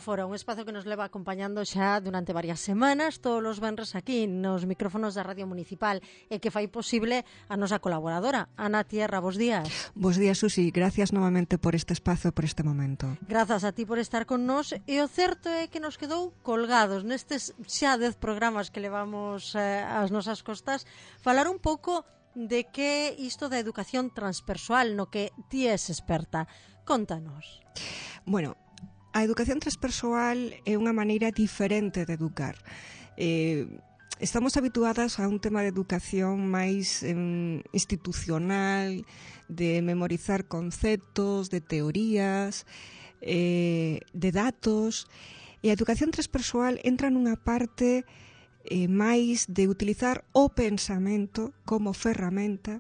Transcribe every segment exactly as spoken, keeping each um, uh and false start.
Metáfora, un espazo que nos leva acompañando xa durante varias semanas, todos os venres aquí nos micrófonos da Radio Municipal, e que fai posible a nosa colaboradora, Ana Tierra. Bos días. Bos días, Susi. Gracias novamente por este espazo, por este momento. Grazas a ti por estar con nós, e o certo é que nos quedou colgados nestes xa dez programas que levamos eh, ás nosas costas, falar un pouco de que isto da educación transpersoal no que ti és experta. Contanos. Bueno, a educación transpersoal é unha maneira diferente de educar. Eh, estamos habituadas a un tema de educación máis eh, institucional, de memorizar conceptos, de teorías, eh, de datos, e a educación transpersoal entra nunha parte eh, máis de utilizar o pensamento como ferramenta,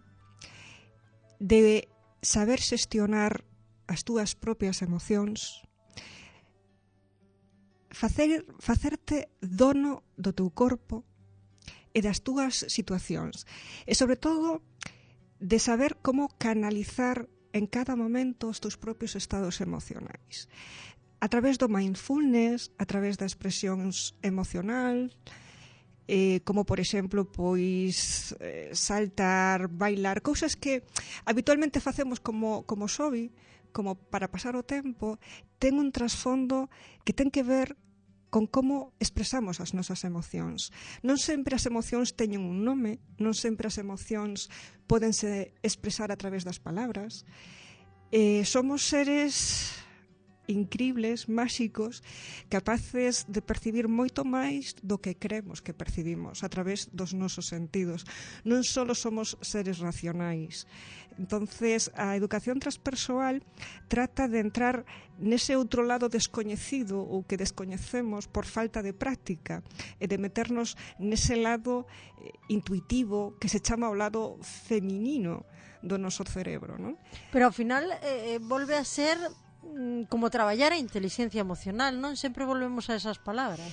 de saber xestionar as túas propias emocións, facer, facerte dono do teu corpo e das túas situacións, e sobre todo de saber como canalizar en cada momento os teus propios estados emocionais a través do mindfulness, a través da expresións emocional, eh, como por exemplo pois eh, saltar, bailar, cousas que habitualmente facemos como, como hobby, como para pasar o tempo, ten un trasfondo que ten que ver con como expresamos as nosas emocións. Non sempre as emocións teñen un nome, non sempre as emocións pódense expresar a través das palabras. Eh, somos seres incribles, máxicos, capaces de percibir moito máis do que creemos que percibimos a través dos nosos sentidos. Non só somos seres racionais. Entonces, a educación transpersoal trata de entrar nese outro lado descoñecido ou que descoñecemos por falta de práctica, e de meternos nese lado eh, intuitivo que se chama o lado feminino do noso cerebro, non? Pero ao final eh, volve a ser como traballar a inteligencia emocional, non? Sempre volvemos a esas palabras.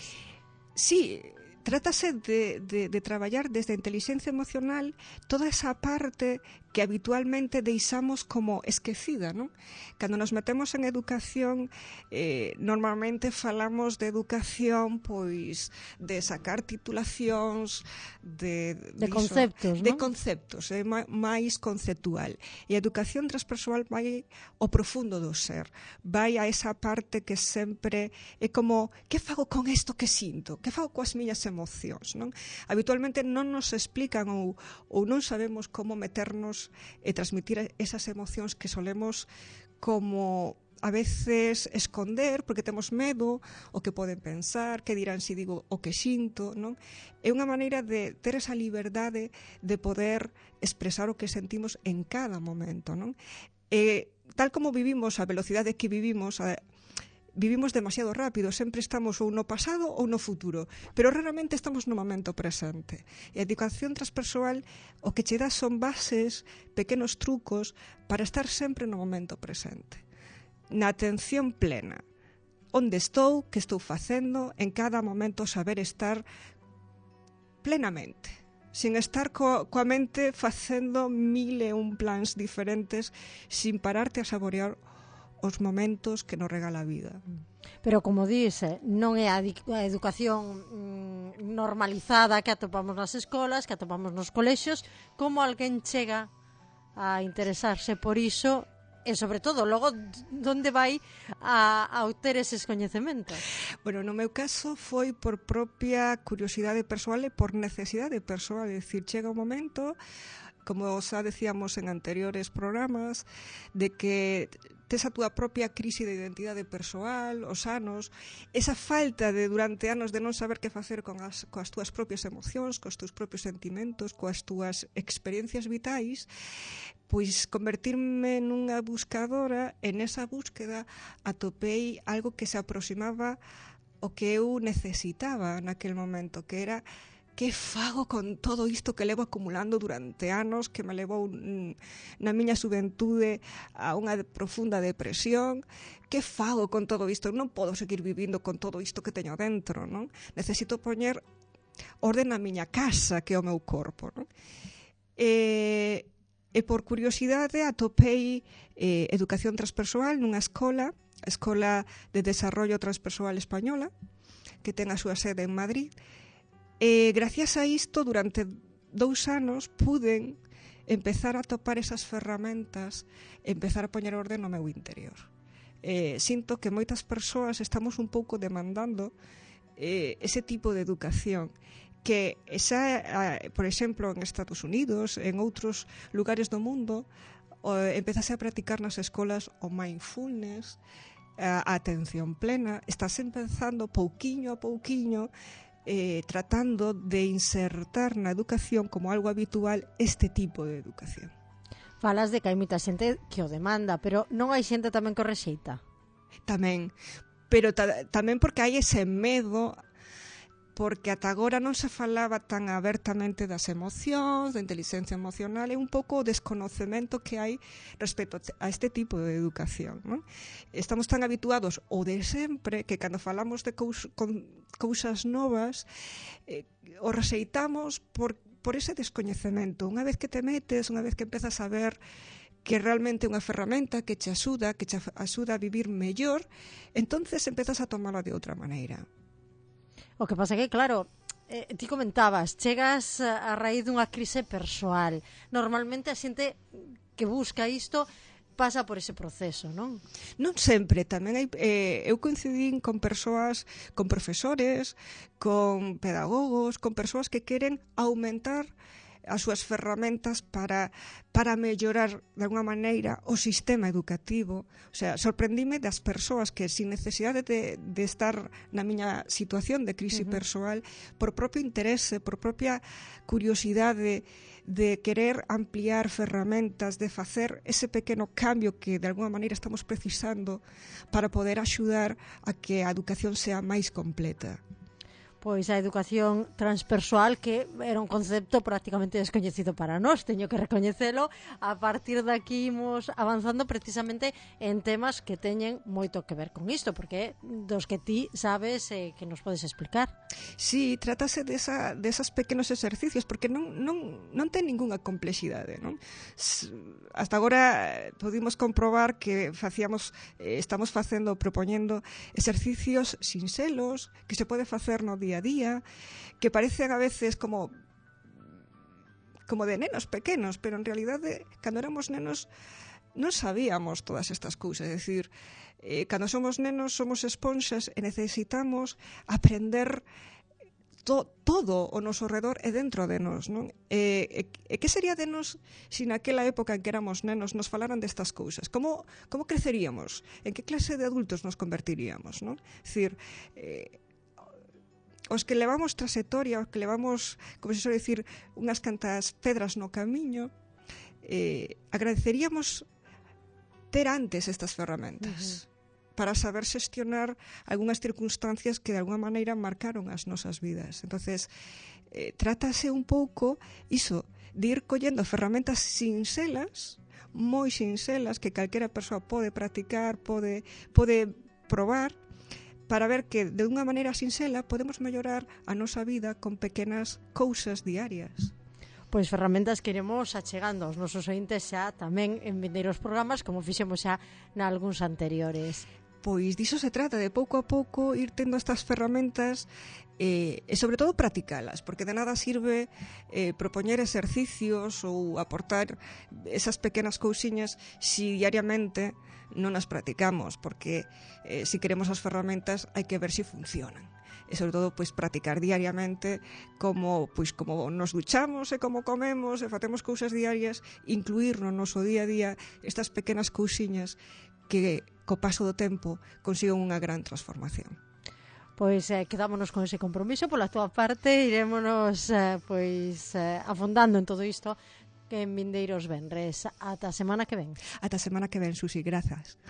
Sí, trátase de, de, de traballar desde a inteligencia emocional toda esa parte que habitualmente deixamos como esquecida, non? Cando nos metemos en educación, eh, normalmente falamos de educación, pois, de sacar titulacións, de... De conceptos, non? De conceptos, é eh, máis conceptual. E a educación transpersoal vai ao profundo do ser, vai a esa parte que sempre é como, que fago con isto que sinto? Que fago coas miñas emocións, non? Habitualmente non nos explican ou, ou non sabemos como meternos e transmitir esas emocións que solemos como a veces esconder porque temos medo o que poden pensar, que dirán se digo o que sinto, non? É unha maneira de ter esa liberdade de poder expresar o que sentimos en cada momento, non? E tal como vivimos, a velocidade que vivimos, a vivimos demasiado rápido, sempre estamos ou no pasado ou no futuro, pero raramente estamos no momento presente. E a educación transpersoal o que che dá son bases, pequenos trucos para estar sempre no momento presente, na atención plena. Onde estou, que estou facendo, en cada momento saber estar plenamente, sin estar co, coa mente facendo mil e un plans diferentes, sin pararte a saborear os momentos que nos regala a vida. Pero como dice, non é a, a educación mm, normalizada que atopamos nas escolas, que atopamos nos colexios, como alguén chega a interesarse por iso e, sobre todo, logo, onde vai a, a obter eses coñecementos? Bueno, no meu caso foi por propia curiosidade persoal e por necesidade persoal, é dicir, chega un momento, como xa decíamos en anteriores programas, de que tes a túa propia crise de identidade persoal, os anos, esa falta de durante anos de non saber que facer con as, coas túas propias emocións, cos teus propios sentimentos, coas túas experiencias vitais, pois convertirme nunha buscadora, en esa búsqueda atopei algo que se aproximaba ao que eu necesitaba naquel momento, que era que fago con todo isto que levo acumulando durante anos, que me levou na miña xuventude a unha profunda depresión? Que fago con todo isto? Non podo seguir vivindo con todo isto que teño dentro, non? Necesito poñer orden na miña casa, que é o meu corpo, non? E, e por curiosidade atopei eh, educación transpersoal nunha escola Escola de Desarrollo Transpersoal Española, que ten a súa sede en Madrid. E gracias a isto, durante dous anos, puden empezar a topar esas ferramentas, empezar a poñer orde no meu interior. Eh, sinto que moitas persoas estamos un pouco demandando eh, ese tipo de educación, que xa, por exemplo, en Estados Unidos, en outros lugares do mundo, empezase a practicar nas escolas o mindfulness, a atención plena. Estás empezando pouquiño a pouquiño, eh, tratando de insertar na educación como algo habitual este tipo de educación. Falas de que hai moita xente que o demanda, pero non hai xente tamén que o rexeita? Tamén, pero ta, tamén porque hai ese medo, porque ata agora non se falaba tan abertamente das emocións, da inteligencia emocional, e un pouco o desconocemento que hai respecto a este tipo de educación, non? Estamos tan habituados o de sempre que cando falamos de cous, con, cousas novas eh, o rexeitamos por, por ese descoñecemento. Unha vez que te metes, unha vez que empezas a ver que realmente é unha ferramenta que te axuda, que te axuda a vivir mellor, entonces empezas a tomarla de outra maneira. O que pasa que, claro, eh, ti comentabas, chegas a raíz dunha crise persoal. Normalmente a xente que busca isto pasa por ese proceso, non? Non sempre, tamén hai, eh, eu coincidín con persoas, con profesores, con pedagogos, con persoas que queren aumentar as súas ferramentas para, para mellorar de alguna maneira o sistema educativo. O sea, sorprendíme das persoas que sin necesidade de, de estar na miña situación de crise uh-huh. persoal, por propio interese, por propia curiosidade de querer ampliar ferramentas, de facer ese pequeno cambio que de alguna maneira estamos precisando para poder axudar a que a educación sea máis completa. Pois a educación transpersoal, que era un concepto prácticamente descoñecido para nós, teño que recoñecelo. A partir de aquí imos avanzando precisamente en temas que teñen moito que ver con isto, porque dos que ti sabes eh, que nos podes explicar. Sí, trátase desa, desas pequenos exercicios, porque non, non, non ten ningunha complexidade, non? Hasta agora pudimos comprobar que facíamos, eh, estamos facendo, propoñendo exercicios sinxelos, que se pode facer no día a día, que parecen a veces como como de nenos pequenos, pero en realidade, cando éramos nenos, non sabíamos todas estas cousas. É dicir, eh, cando somos nenos somos esponxas e necesitamos aprender to, todo o noso redor e dentro de nos, non? E, e, e que sería de nos se naquela época en que éramos nenos nos falaran destas cousas? Como, como creceríamos? En que clase de adultos nos convertiríamos, non? É dicir, eh, os que levamos trayectoria, os que levamos, como se suele decir, unhas cantas pedras no camiño, eh, agradeceríamos ter antes estas ferramentas uh-huh. para saber xestionar algunhas circunstancias que de alguna maneira marcaron as nosas vidas. Entonces, eh, trátase un pouco iso, de ir collendo ferramentas sinxelas, moi sinxelas, que calquera persoa pode practicar, pode, pode probar, para ver que de unha maneira sinxela podemos mellorar a nosa vida con pequenas cousas diarias. Pois ferramentas que iremos achegando aos nosos ointes xa tamén en vindeiros programas, como fixemos xa nalgúns anteriores. Pois diso se trata, de pouco a pouco ir tendo estas ferramentas eh, e sobre todo practicalas, porque de nada sirve eh, propoñer exercicios ou aportar esas pequenas cousiñas si diariamente non as practicamos, porque eh, si queremos as ferramentas hai que ver si funcionan. E sobre todo, pois, practicar diariamente como, pois, como nos duchamos e como comemos e facemos cousas diarias, incluir no noso día a día estas pequenas cousiñas que, co paso do tempo, consiguen unha gran transformación. Pois eh, quedámonos con ese compromiso. Pola túa parte, irémonos eh, pois, eh, afondando en todo isto que en vindeiros venres. Ata a semana que ven. Ata a semana que ven, Susi, grazas.